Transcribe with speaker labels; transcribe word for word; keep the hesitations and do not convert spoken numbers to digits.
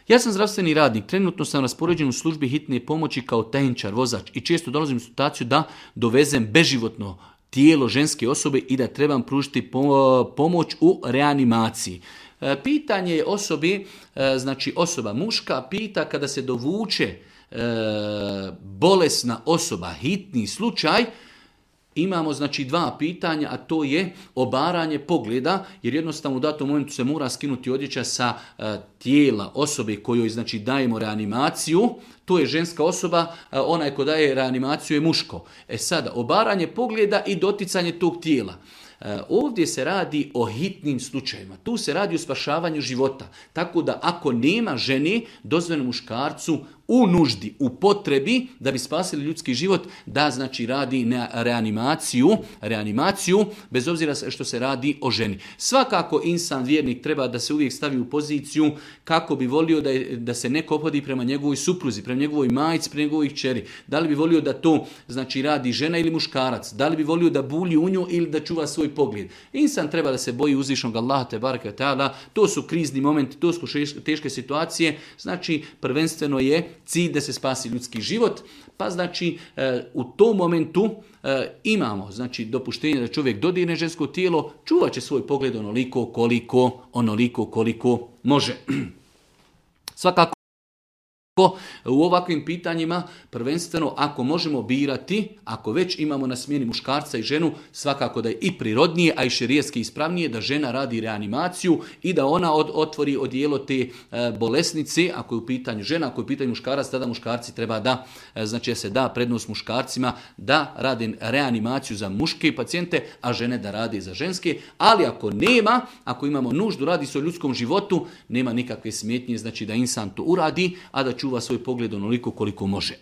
Speaker 1: Ja sam zdravstveni radnik, trenutno sam raspoređen u službi hitne pomoći kao tehničar, vozač i često dolazim u situaciju da dovezem beživotno tijelo ženske osobe i da trebam pružiti pomoć u reanimaciji. Pitanje je osobi, znači osoba muška, pita kada se dovuče bolesna osoba, hitni slučaj, imamo znači dva pitanja, a to je obaranje pogleda, jer jednostavno u datom momentu se mora skinuti odjeća sa e, tijela osobe kojoj znači dajemo reanimaciju. To je ženska osoba, e, onaj ko daje reanimaciju je muško. E sada, obaranje pogleda i doticanje tog tijela. E, ovdje se radi o hitnim slučajevima. Tu se radi o spašavanju života. Tako da ako nema žene, dozvoljeno muškarcu u nuždi, u potrebi da bi spasili ljudski život, da znači radi na reanimaciju, reanimaciju bez obzira što se radi o ženi. Svakako insan vjernik treba da se uvijek stavi u poziciju kako bi volio da, je, da se neko ophodi prema njegovoj supruzi, prema njegovoj majici, prema njegovoj kćeri. Da li bi volio da to znači radi žena ili muškarac? Da li bi volio da bulji u nju ili da čuva svoj pogled? Insan treba da se boji uzvišnog Allaha te bareke ve taala. To su krizni momenti, to su teške situacije. Znači prvenstveno je cilj da se spasi ljudski život, pa znači e, u tom momentu e, imamo znači dopuštenje da čovjek dodirne žensko tijelo, čuvat će svoj pogled onoliko koliko, onoliko koliko može. Svakako u ovakvim pitanjima, prvenstveno ako možemo birati, ako već imamo na smjeni muškarca i ženu, svakako da je i prirodnije, a i šerijetski ispravnije da žena radi reanimaciju i da ona od, otvori odijelo te e, bolesnice, ako je u pitanju žena, ako je u pitanju muškarac, tada muškarci treba da, e, znači se da prednost muškarcima da rade reanimaciju za muške pacijente, a žene da rade za ženske, ali ako nema, ako imamo nuždu, radi se o ljudskom životu, nema nikakve smetnje, znači da insan to uradi, a da čuva svoj pogled onoliko koliko može.